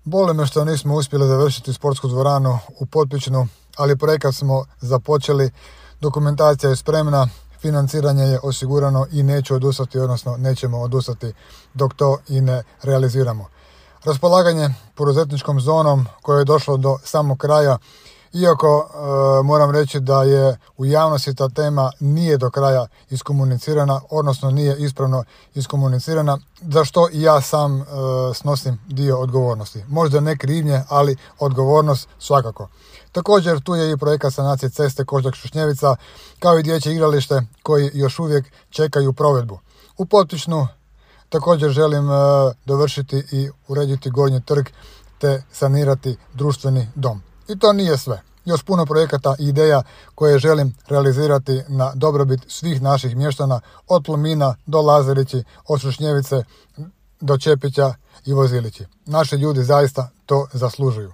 Boli me što nismo uspjeli završiti sportsku dvoranu u Potpičnu, ali projekat smo započeli, dokumentacija je spremna, financiranje je osigurano i neću odustati, odnosno nećemo odustati dok to i ne realiziramo. Raspolaganje poduzetničkom zonom koje je došlo do samog kraja, iako moram reći da je u javnosti ta tema nije do kraja iskomunicirana, odnosno nije ispravno iskomunicirana, za što i ja sam snosim dio odgovornosti. Možda ne krivnje, ali odgovornost svakako. Također tu je i projekat sanacije ceste Koždok-Šušnjevica, kao i dječje igralište koji još uvijek čekaju provedbu. U Potpičnu također želim dovršiti i urediti Gornji trg te sanirati društveni dom. I to nije sve. Još puno projekata i ideja koje želim realizirati na dobrobit svih naših mještana, od Plomina do Lazarići, od Šušnjevice do Čepića i Vozilići. Naši ljudi zaista to zaslužuju.